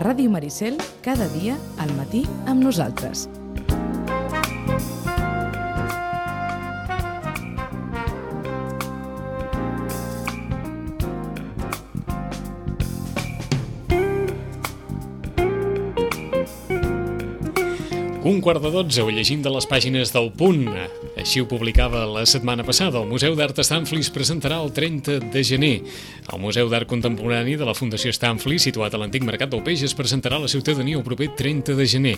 Ràdio Maricel, cada dia al matí amb nosaltres. Un quart de 12, ho llegim de les pàgines del Punt. Així ho publicava la setmana passada. El Museu d'Art Stanflis presentarà el 30 de gener. El Museu d'Art Contemporani de la Fundació Stanflis, situat a l'antic Mercat del Peix, es presentarà a la ciutadania el proper 30 de gener.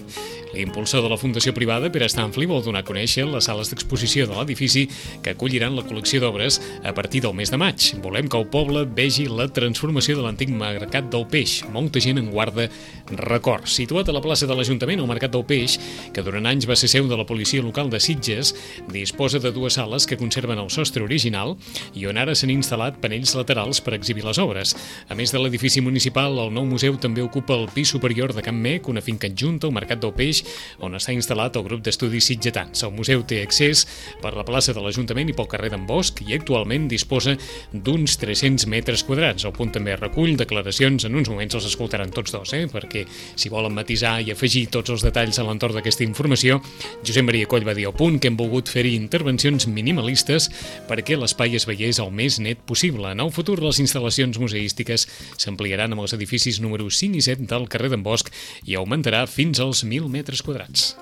L'impulsor de la Fundació Privada, Pere Stanfli, vol donar a conèixer les sales d'exposició de l'edifici que acolliran la col·lecció d'obres a partir del mes de maig. Volem que el poble vegi la transformació de l'antic Mercat del Peix. Molta gent en guarda records. Situat a la plaça de l'Ajuntament, el Mercat del Peix, que durant anys va ser seu de la policia local de Sitges, disposa de dues sales que conserven el sostre original i on ara s'han instal·lat panells laterals per exhibir les obres. A més de l'edifici municipal, el nou museu també ocupa el pis superior de Can Mec, una finca adjunta al Mercat del Peix, on està instal·lat el grup d'estudis sitgetans. El museu té accés per la plaça de l'Ajuntament i pel carrer d'en Bosch i actualment disposa d'uns 300 metres quadrats. El Punt també recull declaracions, en uns moments els escoltaran tots dos, perquè si volen matisar i afegir tots els detalls a l'entorn d'aquesta informació, Josep Maria Coll va dir al Punt que hem volgut fer-hi intervencions minimalistes perquè l'espai es veiés el més net possible. En el futur, les instal·lacions museístiques s'ampliaran amb els edificis números 5 i 7 del carrer d'en Bosch i augmentarà fins als 1.000 metres quadrats.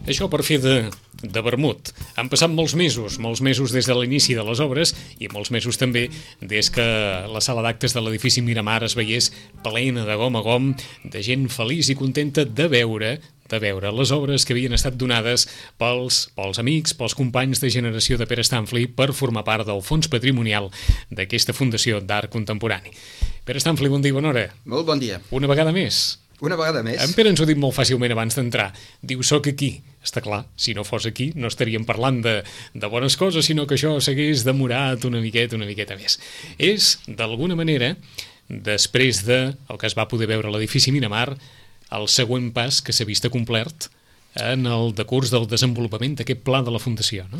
Això per fer de vermut. Han passat molts mesos des de l'inici de les obres i molts mesos també des que la sala d'actes de l'edifici Miramar es veiés plena de gom a gom, de gent feliç i contenta de veure les obres que havien estat donades pels amics, pels companys de generació de Pere Stanfli per formar part del fons patrimonial d'aquesta Fundació d'Art Contemporani. Pere Stanfli, bon dia i bona hora. Molt bon dia. Una vegada més. En Pere ens ho ha dit molt fàcilment abans d'entrar. Diu, soc aquí. Està clar, si no fos aquí no estaríem parlant de bones coses, sinó que això s'hagués demorat una miqueta més. És, d'alguna manera, després del que es va poder veure a l'edifici Miramar, el següent pas que s'ha vist complert en el decurs del desenvolupament d'aquest pla de la Fundació, no?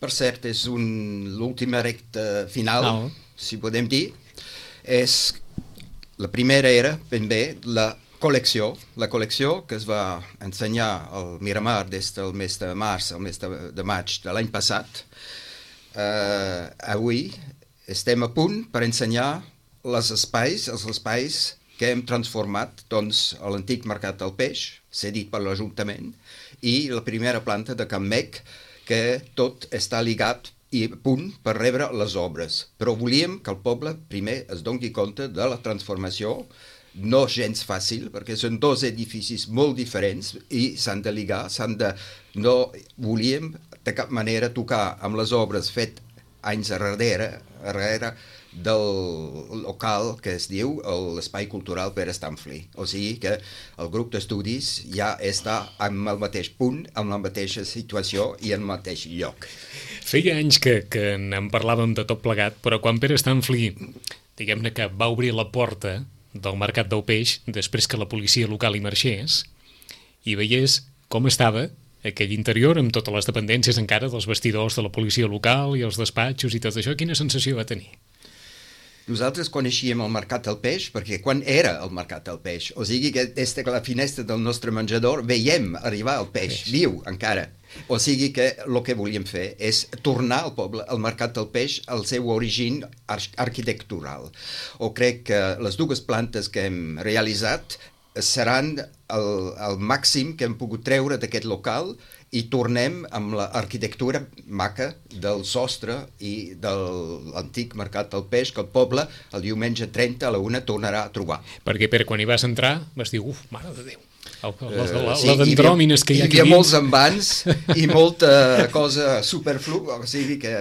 Per cert, és l'última recta final, si podem dir. La primera era, ben bé, la col·lecció que es va ensenyar al Miramar des del mes de març al mes de maig de l'any passat. Avui estem a punt per ensenyar els espais que hem transformat a l'antic Mercat del Peix, cedit per l'Ajuntament, i la primera planta de Can Mec, que tot està lligat i a punt per rebre les obres. Però volíem que el poble primer es doni compte de la transformació, no gens fàcil, perquè són dos edificis molt diferents i s'han de lligar, no volíem de cap manera tocar amb les obres fet anys darrere del local que es diu l'Espai Cultural Pere Stanfli. O sigui que el grup d'estudis ja està en el mateix punt, en la mateixa situació i en el mateix lloc. Feia anys que en parlàvem de tot plegat, però quan Pere Stanfli, diguem-ne que va obrir la porta del Mercat del Peix, després que la policia local hi marxés, i veiés com estava aquell interior amb totes les dependències encara dels vestidors de la policia local i els despatxos i tot això, quina sensació va tenir? Nosaltres coneixíem el Mercat del Peix perquè quan era el Mercat del Peix, o sigui que des de la finestra del nostre menjador veiem arribar el peix viu encara. O sigui que el que volíem fer és tornar al poble, al Mercat del Peix, al seu origen arquitectural. O crec que les dues plantes que hem realitzat seran el màxim que hem pogut treure d'aquest local i tornem amb l'arquitectura maca del sostre i de l'antic Mercat del Peix que el poble el diumenge 30 a la 1 tornarà a trobar. Perquè, Pere, quan hi vas entrar vas dir, mare de Déu, les andròmines que hi ha aquí dins. Hi havia molts envans i molta cosa superflu, o sigui que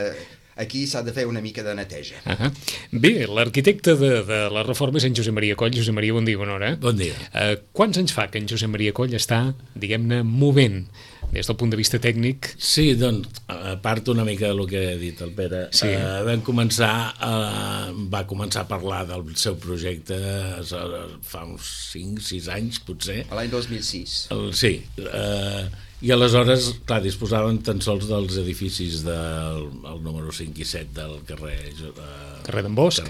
aquí s'ha de fer una mica de neteja. Bé, l'arquitecte de la reforma és en Josep Maria Coll. Josep Maria, bon dia, bona hora. Bon dia. Quants anys fa que en Josep Maria Coll està, diguem-ne, movent des del punt de vista tècnic? Sí, doncs, a part una mica del que ha dit el Pere, va començar a parlar del seu projecte fa uns 5-6 anys, potser. A l'any 2006. Sí, I aleshores, clar, disposaven tan sols dels edificis del número 5 i 7 del carrer d'en Bosch,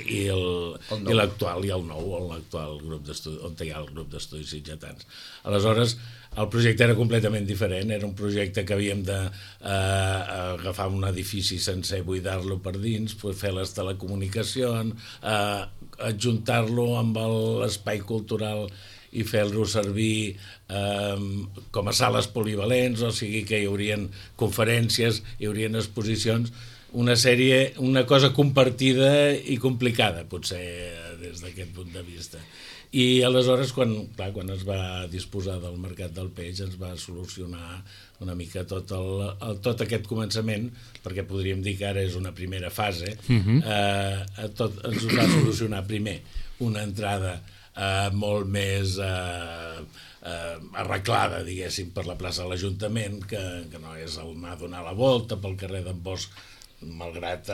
i l'actual, i el nou, l'actual grup d'estudis, on hi ha el grup d'estudis sitgetans. Aleshores, el projecte era completament diferent, era un projecte que havíem d'agafar un edifici sencer, buidar-lo per dins, fer les telecomunicacions, adjuntar-lo amb l'espai cultural i fer-lo servir com a sales polivalents, o sigui que hi haurien conferències, hi haurien exposicions, una cosa compartida i complicada, potser, des d'aquest punt de vista. I aleshores, quan es va disposar del mercat del peix, ens va solucionar una mica tot aquest començament, perquè podríem dir que ara és una primera fase, ens va solucionar primer una entrada molt més arreglada, diguéssim, per la plaça de l'Ajuntament, que no és anar a donar la volta pel carrer d'en Bosch, malgrat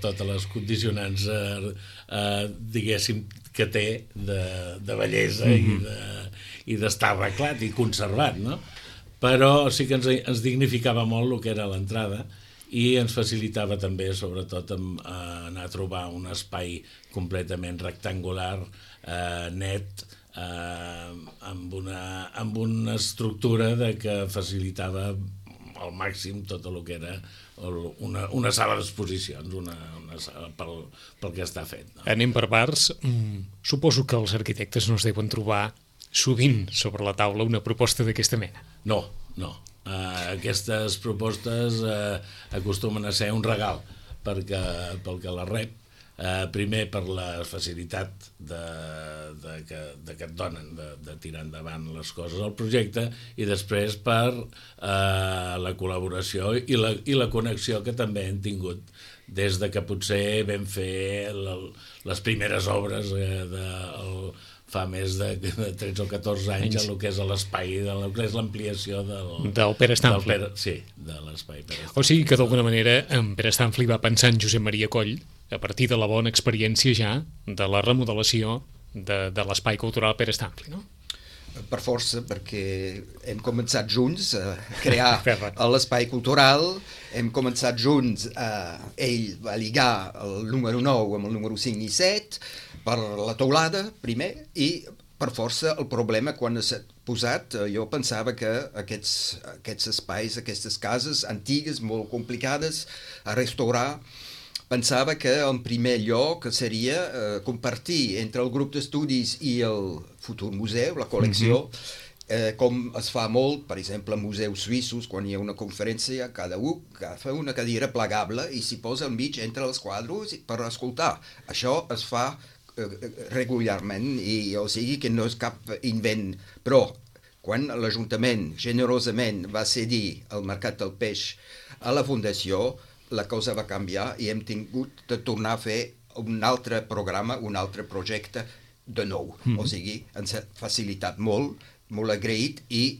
totes les condicionants, diguéssim, que té de bellesa i d'estar arreglat i conservat, no? Però sí que ens dignificava molt el que era l'entrada i ens facilitava també, sobretot, anar a trobar un espai completament rectangular, net, amb una estructura que facilitava al màxim tot el que era una sala d'exposicions, una sala pel que està fet. No? Anem per parts. Suposo que els arquitectes no es deuen trobar sovint sobre la taula una proposta d'aquesta mena. No. Aquestes propostes acostumen a ser un regal pel que la rep, primer per la facilitat que et donen de tirar endavant les coses al projecte, i després per la col·laboració i la connexió que també hem tingut des de que potser vam fer les primeres obres fa més de 13 o 14 anys a lo que és l'espai, a lo que és l'ampliació del Pere Stanfli. Sí, de l'espai Pere Stanfli. O sigui que d'alguna manera en Pere Stanfli va pensar en Josep Maria Coll a partir de la bona experiència ja de la remodelació de l'espai cultural Pere Stanfli, no? Per força, perquè hem començat junts a crear l'espai cultural, hem començat junts, ell va lligar el número 9 amb el número 5 i 7 per la teulada primer, i per força el problema quan s'ha posat, jo pensava que aquests espais, aquestes cases antigues, molt complicades a restaurar, pensava que en primer lloc seria compartir entre el grup d'estudis i el futur museu, la col·lecció, com es fa molt, per exemple, en museus suïssos, quan hi ha una conferència, cada un agafa una cadira plegable i s'hi posa al mig entre els quadres per escoltar. Això es fa regularment, i o sigui que no és cap invent, però quan l'Ajuntament generosament va cedir el Mercat del Peix a la Fundació, la cosa va canviar i hem tingut de tornar a fer un altre programa, un altre projecte de nou. O sigui, ens ha facilitat molt agraït, i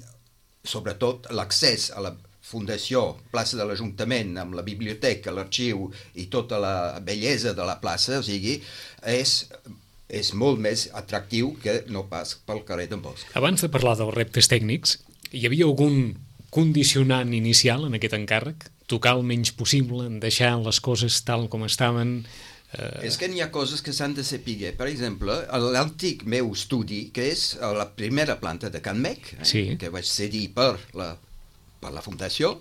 sobretot l'accés a la Fundació, plaça de l'Ajuntament, amb la biblioteca, l'arxiu i tota la bellesa de la plaça, o sigui, és molt més atractiu que no pas pel carrer d'en Bosch. Abans de parlar dels reptes tècnics, hi havia algun condicionant inicial en aquest encàrrec? Tocar el menys possible, deixar les coses tal com estaven? És que n'hi ha coses que s'han de saber. Per exemple, l'antic meu estudi, que és a la primera planta de Can Mec, que vaig cedir per la Fundació,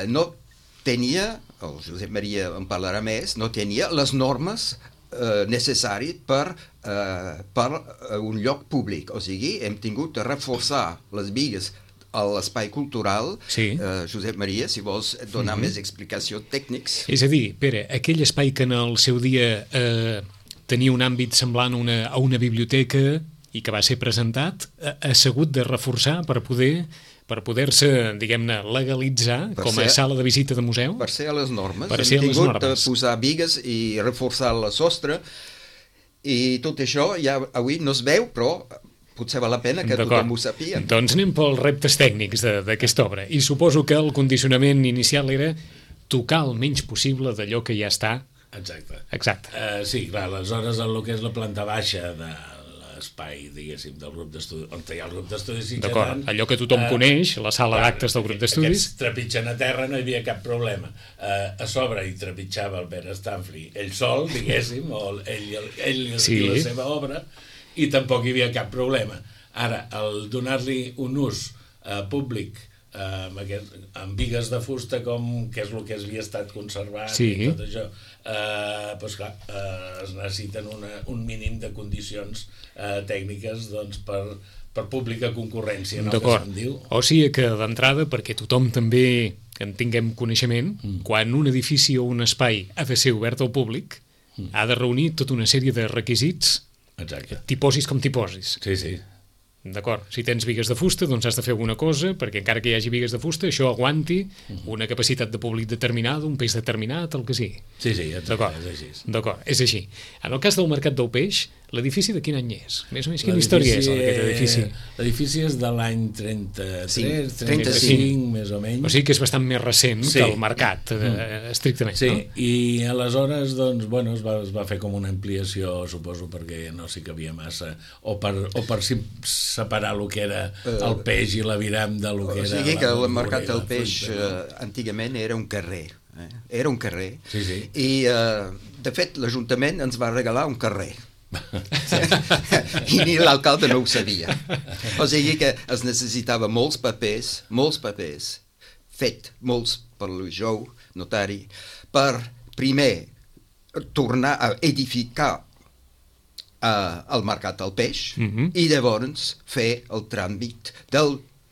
no tenia, el Josep Maria en parlarà més, no tenia les normes necessàries per un lloc públic. O sigui, hem tingut de reforçar les bigues a l'espai cultural. Josep Maria, si vols donar més explicacions tècnics. És a dir, Pere, aquell espai que en el seu dia tenia un àmbit semblant a una biblioteca i que va ser presentat, ha sigut de reforçar per poder-se, diguem-ne, legalitzar com a sala de visita de museu? Per ser a les normes. Hem tingut de posar bigues i reforçar la sostre, i tot això ja avui no es veu, però potser val la pena que tothom ho sàpiga. Doncs anem pels reptes tècnics d'aquesta obra. I suposo que el condicionament inicial era tocar el menys possible d'allò que ja està. Exacte. Exacte. Sí, clar, aleshores el que és la planta baixa de l'espai, diguéssim, del grup d'estudis, on hi ha el grup d'estudis sitgetans. D'acord, allò que tothom coneix, la sala d'actes del grup d'estudis. Aquests trepitgen a terra, no hi havia cap problema. A sobre hi trepitjava el Pere Stanfli, ell sol, diguéssim, o ell i la seva obra, i tampoc hi havia cap problema. Ara, el donar-li un ús públic amb bigues de fusta, que és el que havia estat conservat i tot això, doncs clar, es necessiten un mínim de condicions tècniques per pública concurrència, no? Que se'n diu. O sigui que d'entrada, perquè tothom també en tinguem coneixement, quan un edifici o un espai ha de ser obert al públic, ha de reunir tota una sèrie de requisits. Exacte. T'hi posis com t'hi posis. Sí. D'acord, si tens bigues de fusta, doncs has de fer alguna cosa, perquè encara que hi hagi bigues de fusta, això aguanti una capacitat de públic determinada, un peix determinat, el que sigui. Sí, exacte, és així. D'acord, és així. En el cas del Mercat del Peix, l'edifici de quin any és? Més o menys quina història és aquest edifici? L'edifici és de l'any 33, 35, més o menys. O sigui que és bastant més recent que el mercat, estrictament. Sí, i aleshores, doncs, bueno, es va fer com una ampliació, suposo, perquè no s'hi cabia massa, o per separar el que era el peix i l'aviram de lo que era... O sigui que el Mercat del Peix antigament era un carrer. Era un carrer. Sí. I, de fet, l'Ajuntament ens va regalar un carrer. I ni l'alcalde no ho sabia. O sigui que es necessitava molts papers, fet molts per l'Ujou, notari, per primer tornar a edificar el Mercat del Peix i llavors fer el tràmit de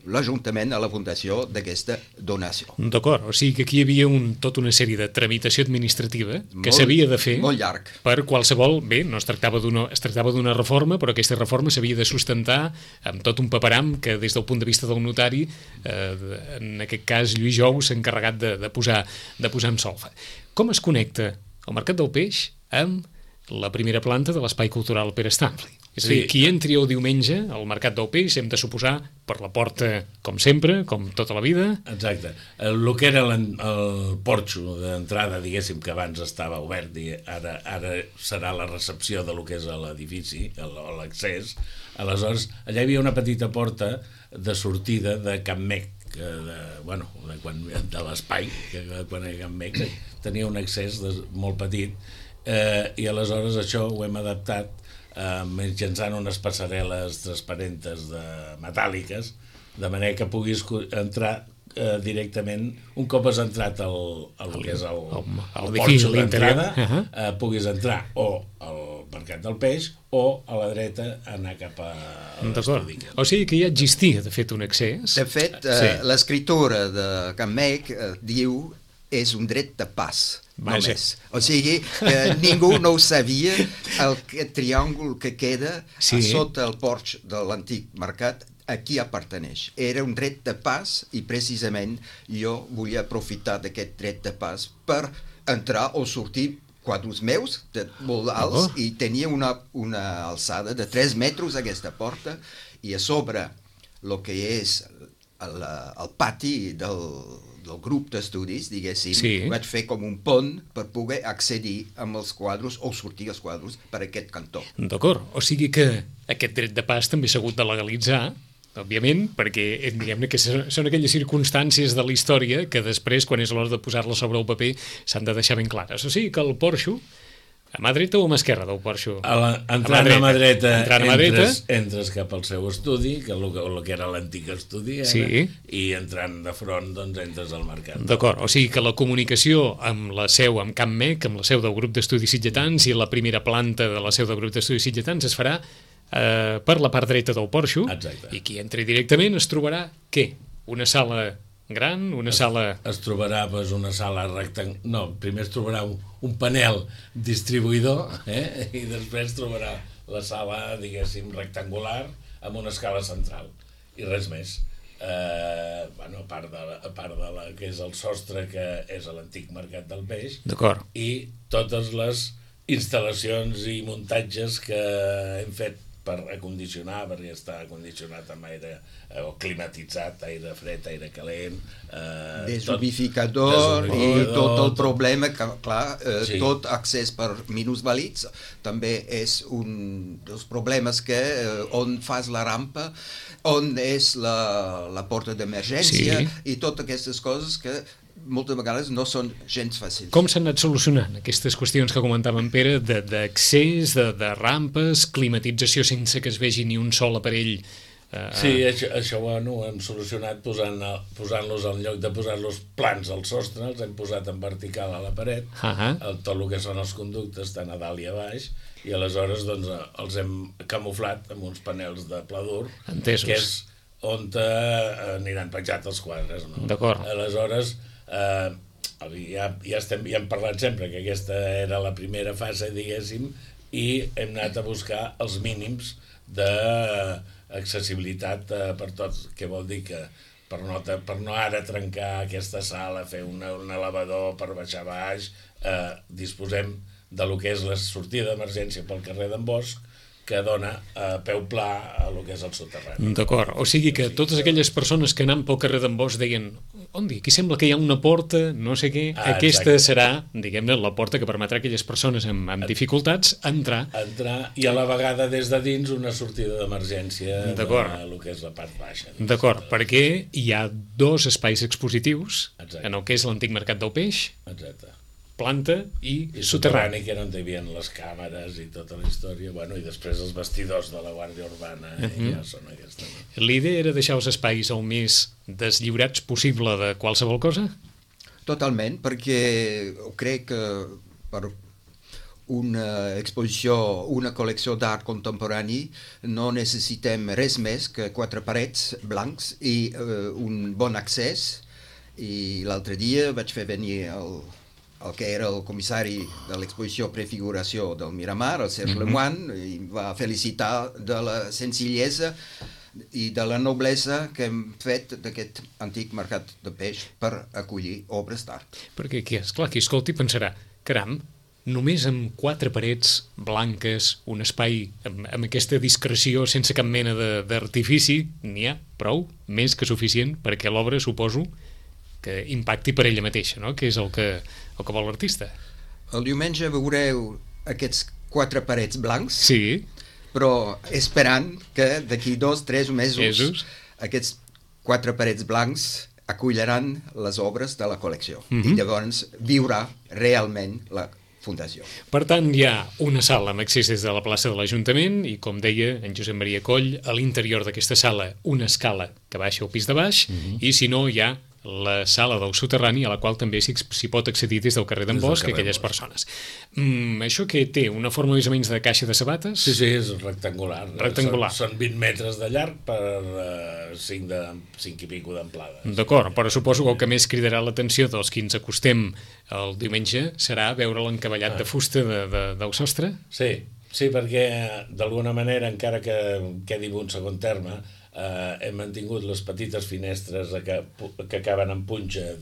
l'Ajuntament a la fundació d'aquesta donació. D'acord, o sigui que aquí hi havia tota una sèrie de tramitació administrativa que s'havia de fer molt llarg. Per qualsevol... Bé, no es tractava d'una reforma, però aquesta reforma s'havia de sustentar amb tot un paperam que des del punt de vista del notari, en aquest cas Lluís Jou, s'ha encarregat de posar en solfa. Com es connecta el Mercat del Peix amb la primera planta de l'Espai Cultural Pere Stanfli? És a dir, qui entri el diumenge al Mercat del Peix hem de suposar per la porta, com sempre, com tota la vida. Exacte. El que era el porxo d'entrada, diguéssim, que abans estava obert i ara serà la recepció de lo que és l'edifici, l'accés. Aleshores, allà hi havia una petita porta de sortida de Can Mec, de l'espai, que quan era Can Mec tenia un accés molt petit, i aleshores això ho hem adaptat mitjançant unes passarel·les transparentes metàl·liques, de manera que puguis entrar directament, un cop has entrat al que és el porxo d'entrada, puguis entrar o al Mercat del Peix o a la dreta anar cap a l'estudi. O sigui que ja existia, de fet, un accés. De fet, l'escriptura de Can Mec diu és un dret de pas. Només. O sigui, ningú no ho sabia, el triàngul que queda a sota el porx de l'antic mercat a qui aparteneix. Era un dret de pas i precisament jo volia aprofitar d'aquest dret de pas per entrar o sortir quadros meus molt alts i tenia una alçada de 3 metres aquesta porta i a sobre el que és el pati del grup d'estudis, diguéssim, vaig fer com un pont per poder accedir amb els quadros o sortir els quadros per aquest cantó. D'acord, o sigui que aquest dret de pas també s'ha hagut de legalitzar, òbviament, perquè diguem-ne que són aquelles circumstàncies de la història que després, quan és l'hora de posar-la sobre el paper, s'han de deixar ben clares. O sigui que el porxo, a mà dreta o a mà esquerra del porxo? Entrant a mà dreta, entres cap al seu estudi, que el que era l'antic estudi, i entrant de front, doncs entres al mercat. D'acord, o sigui que la comunicació amb la seu, amb Can Mec, amb la seu del grup d'estudis sitgetans i la primera planta de la seu del grup d'estudis sitgetans es farà per la part dreta del porxo. Exacte. I qui entri directament es trobarà, què? Una sala gran, una sala... Es trobarà una sala rectangular... No, primer es trobarà un panel distribuïdor, i després trobarà la sala, diguéssim, rectangular amb una escala central i res més. A part de la que és el sostre, que és l'antic Mercat del Peix, d'acord, i totes les instal·lacions i muntatges que hem fet per acondicionar, perquè està acondicionat amb aire o climatitzat, aire fred, aire calent, deshumidificador i tot el problema que, clar, tot accés per minusvàlids també és un dels problemes que on fas la rampa, on és la porta d'emergència i totes aquestes coses que moltes vegades no són gens fàcils. Com s'han anat solucionant aquestes qüestions que comentava en Pere, d'accés, de rampes, climatització sense que es vegi ni un sol aparell? Sí, això ho hem solucionat posant-los en lloc de posar-los plans al sostre, els hem posat en vertical a la paret, tot el que són els conductes, tant a dalt i a baix, i aleshores doncs, els hem camuflat amb uns panels de pla dur, que és on aniran penjats els quadres. No? D'acord. Aleshores, ja hem parlat sempre que aquesta era la primera fase, diguéssim, i hem anat a buscar els mínims d'accessibilitat per tots, que vol dir que per no ara trencar aquesta sala, fer un elevador per baixar baix, disposem de lo que és la sortida d'emergència pel carrer d'en Bosch, que dona peu pla a lo que és el soterrani. D'acord, o sigui que totes aquelles persones que anant pel carrer d'en Bosch deien, aquí sembla que hi ha una porta, no sé què, aquesta serà, diguem-ne, la porta que permetrà a aquelles persones amb dificultats entrar i a la vegada des de dins una sortida d'emergència de lo que és la part baixa. D'acord, perquè hi ha 2 espais expositius en el que és l'antic mercat del peix, planta i soterrani, que era on hi havia les càmeres i tota la història, i després els vestidors de la Guàrdia Urbana ja són aquesta. L'idea era deixar els espais el més deslliurats possible de qualsevol cosa? Totalment, perquè crec que per una exposició, una col·lecció d'art contemporani no necessitem res més que 4 parets blancs i un bon accés. I l'altre dia vaig fer venir el que era el comissari de l'exposició Prefiguració del Miramar, el Serge Lemoine, i va felicitar de la senzillesa i de la noblesa que hem fet d'aquest antic mercat de peix per acollir obres d'art. Perquè, esclar, qui escolti pensarà, caram, només amb 4 parets blanques, un espai amb aquesta discreció sense cap mena d'artifici, n'hi ha prou, més que suficient, perquè l'obra, suposo, que impacti per ella mateixa, no? Que és el que vol l'artista. El diumenge veureu aquests 4 parets blancs, però esperant que d'aquí 2-3 mesos aquests 4 parets blancs acolliran les obres de la col·lecció i llavors viurà realment la fundació. Per tant, hi ha una sala amb accés des de la plaça de l'Ajuntament i, com deia en Josep Maria Coll, a l'interior d'aquesta sala una escala que baixa al pis de baix i, si no, hi ha la sala del soterrani, a la qual també s'hi pot accedir des del carrer d'en Bosch, aquelles persones. Això que té una forma més o menys de caixa de sabates? Sí, és rectangular. Són 20 metres de llarg per 5 i pico d'amplada. D'acord, però suposo que el que més cridarà l'atenció dels qui ens acostem el diumenge serà veure l'encavallat de fusta del sostre? Sí, perquè d'alguna manera, encara que quedi en un segon terme, hem mantingut les petites finestres que acaben en punxa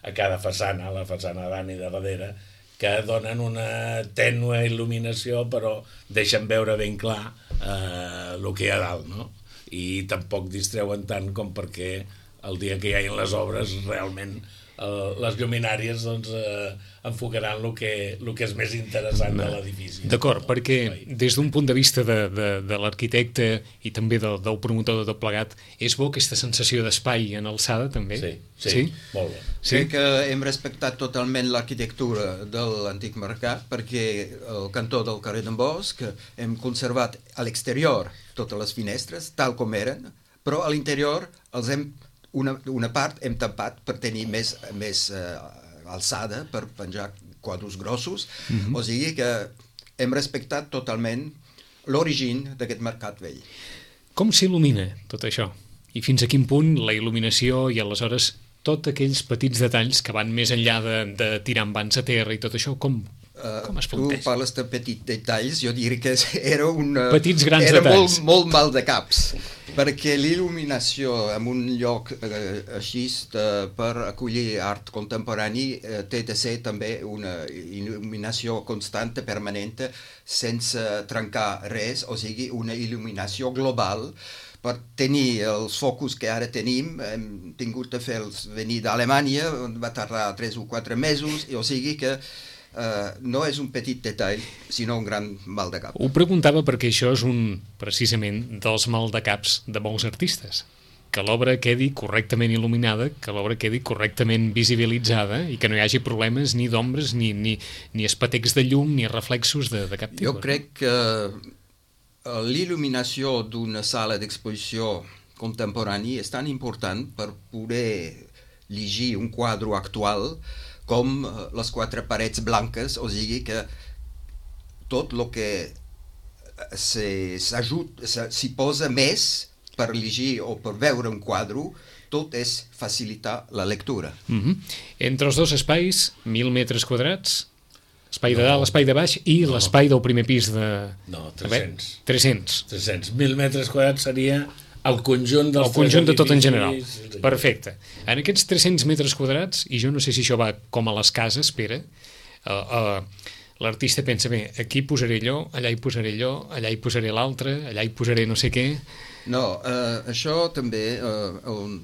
a cada façana, la façana davant i de darrere, que donen una tènue il·luminació però deixen veure ben clar el que hi ha dalt, no? I tampoc distreuen tant com perquè el dia que hi hagin les obres realment les lluminàries enfocaran el que és més interessant de l'edifici. D'acord, perquè des d'un punt de vista de l'arquitecte i també del promotor de tot plegat, és bo aquesta sensació d'espai en alçada també? Sí, molt bé. Crec que hem respectat totalment l'arquitectura de l'antic mercat, perquè al cantó del carrer d'en Bosch hem conservat a l'exterior totes les finestres tal com eren, però a l'interior els hem una part hem tapat per tenir més alçada per penjar quadres grossos, o sigui que hem respectat totalment l'origen d'aquest mercat vell. Com s'il·lumina tot això? I fins a quin punt la il·luminació i aleshores tots aquells petits detalls que van més enllà de tirar envans a terra i tot això, com es planteja? Tu parles de petits detalls, jo diria que era petits grans detalls. Molt mal de caps. Perquè l'il·luminació en un lloc així per acollir art contemporani té de ser també una il·luminació constante, permanent, sense trencar res, o sigui, una il·luminació global. Per tenir els focus que ara tenim, hem tingut de fer-los venir d'Alemanya, on va tardar 3 o 4 mesos, o sigui que no és un petit detall, sinó un gran mal de cap. Ho preguntava perquè això és precisament dels mal de caps de molts artistes, que l'obra quedi correctament il·luminada, que l'obra quedi correctament visibilitzada i que no hi hagi problemes ni d'ombres, ni espetecs de llum, ni reflexos de cap tipus. Jo crec que l'il·luminació d'una sala d'exposició contemporani és tan important per poder llegir un quadre actual com les 4 parets blanques, o sigui que tot el que s'hi posa més per llegir o per veure un quadre, tot és facilitar la lectura. Entre els dos espais, 1.000 metres quadrats, espai de dalt, espai de baix i l'espai del primer pis de... No, 300. 300. 1.000 metres quadrats seria el conjunt dels... El conjunt de tot en general. Perfecte. En aquests 300 metres quadrats, i jo no sé si això va com a les cases, Pere, l'artista pensa, bé, aquí posaré allò, allà hi posaré allò, allà hi posaré l'altre, allà hi posaré no sé què... No, això també, el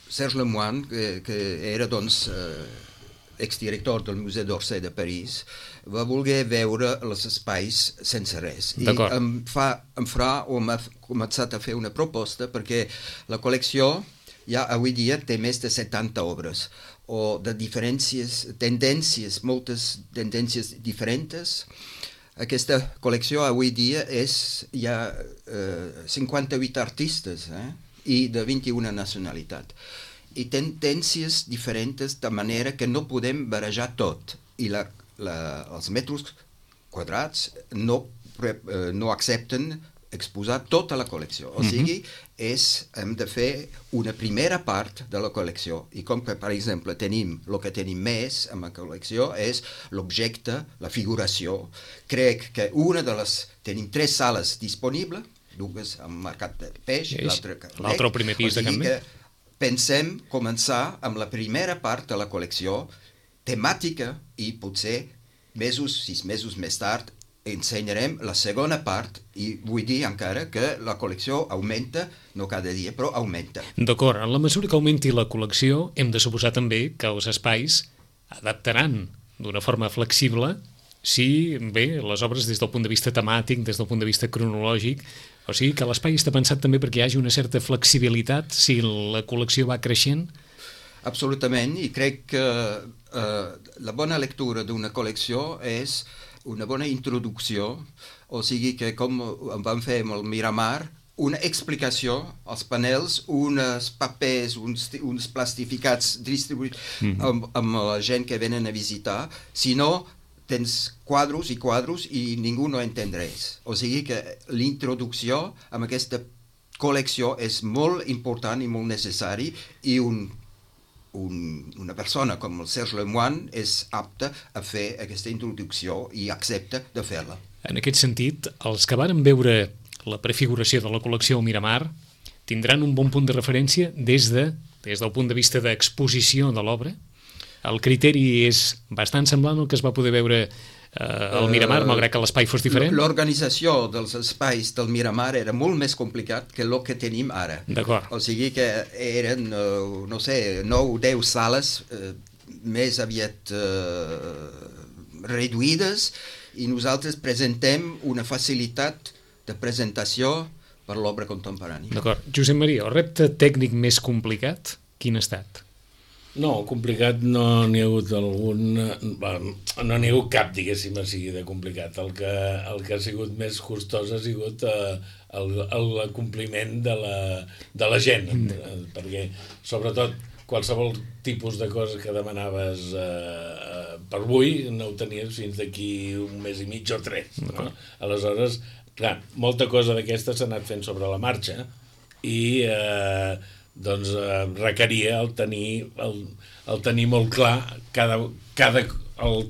Serge Lemoine, que era, doncs, exdirector del Museu d'Orsay de París, va voler veure els espais sense res. I m'ha començat a fer una proposta perquè la col·lecció ja avui dia té més de 70 obres o de tendències, moltes tendències diferents. Aquesta col·lecció avui dia hi ha 58 artistes i de 21 nacionalitats. I tendències diferents de manera que no podem barrejar tot. I els metres quadrats no accepten exposar tota la col·lecció. O sigui, hem de fer una primera part de la col·lecció. I com que, per exemple, el que tenim més en la col·lecció és l'objecte, la figuració. Crec que tenim 3 sales disponibles, 2 al Mercat del Peix, l'altre al primer pis de Can Bé. Pensem començar amb la primera part de la col·lecció temàtica i potser 6 mesos més tard ensenyarem la segona part i vull dir encara que la col·lecció augmenta, no cada dia, però augmenta. D'acord, en la mesura que augmenti la col·lecció hem de suposar també que els espais adaptaran d'una forma flexible si, bé, les obres des del punt de vista temàtic, des del punt de vista cronològic, o sigui que l'espai està pensat també perquè hi hagi una certa flexibilitat si la col·lecció va creixent? Absolutament, i crec que la bona lectura d'una col·lecció és una bona introducció, o sigui que com vam fer amb el Miramar, una explicació als panels, uns papers, uns plastificats distribuïts amb la gent que venen a visitar, sinó tens quadros i ningú no entén res. O sigui que l'introducció amb aquesta col·lecció és molt important i molt necessari i una persona com el Serge Lemoine és apta a fer aquesta introducció i accepta de fer-la. En aquest sentit, els que varen veure la prefiguració de la col·lecció al Miramar tindran un bon punt de referència des del punt de vista d'exposició de l'obra? El criteri és bastant semblant al que es va poder veure al Miramar, malgrat que l'espai fos diferent? L'organització dels espais del Miramar era molt més complicat que el que tenim ara. D'acord. O sigui que eren, no sé, 9 o 10 sales més aviat reduïdes i nosaltres presentem una facilitat de presentació per l'obra contemporània. D'acord. Josep Maria, el repte tècnic més complicat, quin ha estat? No, complicat no n'hi ha hagut algun... No n'hi ha hagut cap, diguéssim, sigui de complicat. El que ha sigut més costós ha sigut l'acompliment de la gent, perquè, sobretot, qualsevol tipus de cosa que demanaves per avui no ho tenies fins d'aquí un mes i mig o 3. No? Aleshores, clar, molta cosa d'aquesta s'ha anat fent sobre la marxa i... doncs requeria el tenir molt clar el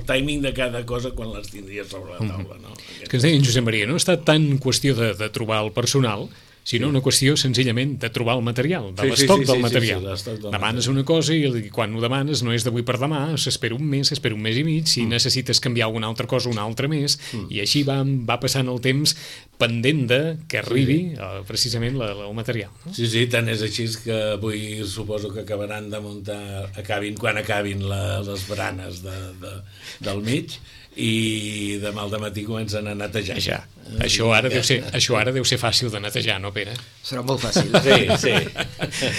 timing de cada cosa quan les tindries sobre la taula. No? Que ens deia en Josep Maria, no ha estat tant qüestió de trobar el personal, sinó una qüestió senzillament de trobar el material, de l'estoc del material. Demanes una cosa i quan ho demanes no és d'avui per demà, s'espera un mes i mig, si necessites canviar alguna altra cosa, una altra més, i així va passant el temps pendent de que arribi precisament el material. No? Sí, tant és així que avui suposo que acabaran de muntar, quan acabin les baranes del mig, i demà al dematí comencen a netejar. Això ara deu ser fàcil de netejar, no, Pere? Serà molt fàcil. Sí.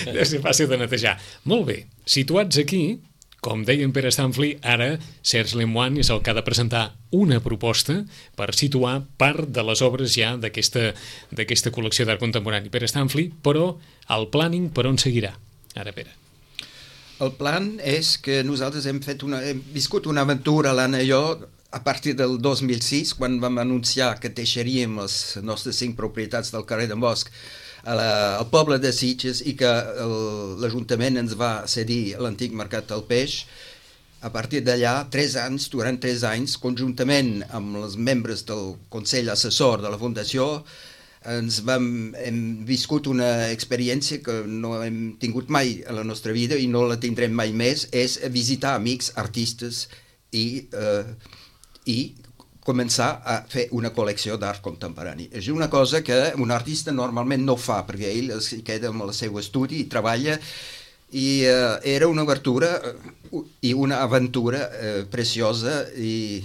Deu ser fàcil de netejar. Molt bé, situats aquí, com deia en Pere Stanfli, ara Serge Lemoine és el que ha de presentar una proposta per situar part de les obres ja d'aquesta col·lecció d'art contemporani. Pere Stanfli, però el planning per on seguirà? Ara, Pere. El plan és que nosaltres hem viscut una aventura, l'Anna i jo, a partir del 2006, quan vam anunciar que deixaríem les nostres 5 propietats del carrer d'en Bosch al poble de Sitges i que l'Ajuntament ens va cedir l'antic mercat del peix. A partir d'allà, durant 3 anys, conjuntament amb els membres del Consell Assessor de la Fundació, hem viscut una experiència que no hem tingut mai a la nostra vida i no la tindrem mai més, és visitar amics, artistes i començar a fer una col·lecció d'art contemporani. És una cosa que un artista normalment no fa, perquè ell es queda amb el seu estudi i treballa, i era una obertura i una aventura preciosa i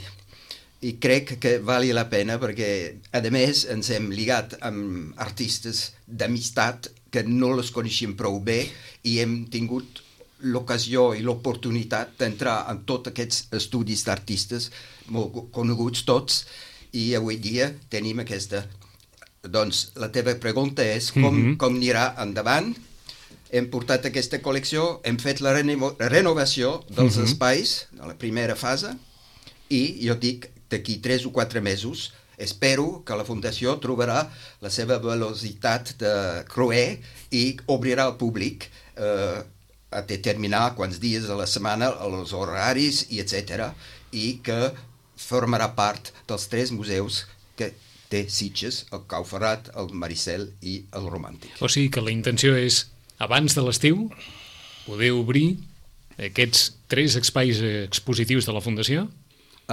crec que vali la pena perquè, a més, ens hem lligat amb artistes d'amistat que no les coneixíem prou bé i hem tingut l'ocasió i l'oportunitat d'entrar en tots aquests estudis d'artistes molt coneguts tots, i avui dia tenim aquesta. Doncs la teva pregunta és com anirà endavant. Hem portat aquesta col·lecció, hem fet la renovació dels espais de la primera fase i jo dic d'aquí 3 o 4 mesos espero que la Fundació trobarà la seva velocitat de cruer i obrirà al públic a determinar quants dies a la setmana, els horaris, i etc. I que formarà part dels 3 museus que té Sitges, el Cau Ferrat, el Maricel i el Romàntic. O sigui que la intenció és, abans de l'estiu, poder obrir aquests 3 espais expositius de la Fundació?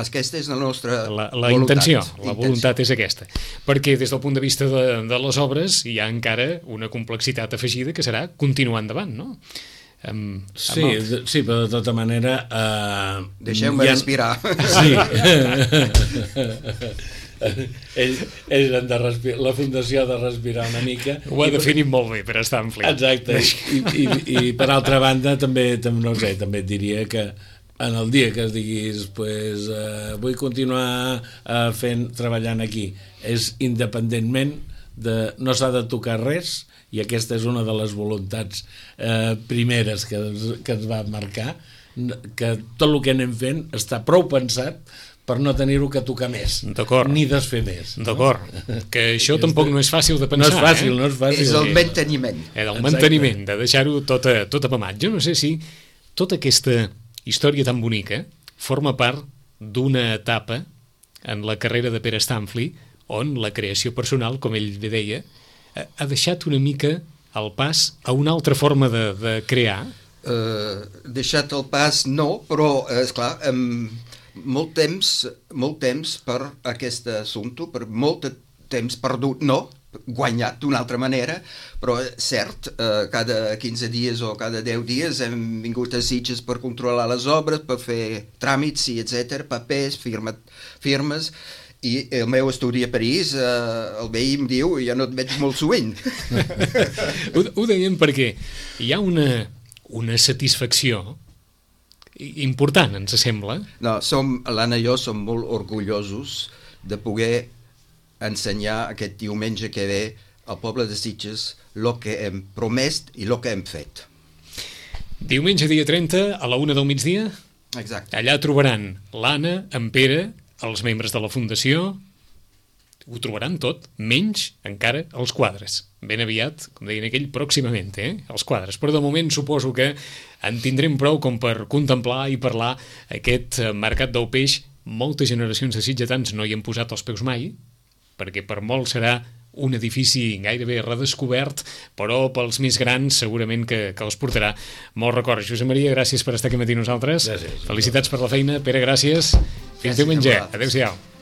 Aquesta és la nostra la intenció, la voluntat és aquesta. Perquè des del punt de vista de les obres hi ha encara una complexitat afegida que serà continuar endavant, no? Sí, però de tota manera... Deixeu-me respirar. Sí. Ells han de respirar, la Fundació ha de respirar una mica. Ho ha definit molt bé, però està en flit. Exacte. I per altra banda, també et diria que en el dia que es diguis vull continuar treballant aquí, és independentment no s'ha de tocar res, i aquesta és una de les voluntats primeres que ens va marcar, que tot el que anem fent està prou pensat per no tenir-ho que tocar més, ni desfer més. D'acord, que això tampoc no és fàcil de pensar. No és fàcil. És el manteniment. El manteniment, de deixar-ho tot apamat. Jo no sé si tota aquesta història tan bonica forma part d'una etapa en la carrera de Pere Stanfli on la creació personal, com ell deia, ha deixat una mica el pas a una altra forma de crear. Deixat el pas no, però esclar, molt temps per aquest assumpte, per molt temps perdut, no, guanyat d'una altra manera, però cert, cada 15 dies o cada 10 dies hem vingut a Sitges per controlar les obres, per fer tràmits i etc, papers, firmes, i el meu estudi a París, el veí em diu, ja no et veig molt sovint. Ho dèiem perquè hi ha una satisfacció important, ens sembla. No, l'Anna i jo som molt orgullosos de poder ensenyar aquest diumenge que ve al poble de Sitges el que hem promès i el que hem fet. Diumenge dia 30 a la 1 del migdia? Exacte. Allà trobaran l'Anna, en Pere, els membres de la Fundació, ho trobaran tot, menys encara els quadres. Ben aviat, com deien aquell, pròximament, els quadres. Però de moment suposo que en tindrem prou com per contemplar i parlar aquest mercat del peix. Moltes generacions de sitgetans no hi han posat els peus mai, perquè per molt serà un edifici gairebé redescobert, però pels més grans segurament que els portarà molt record. Josep Maria, gràcies per estar aquí matí nosaltres. Gràcies. Felicitats per la feina. Pere, gràcies. Fins diumenge. Adéu-siau.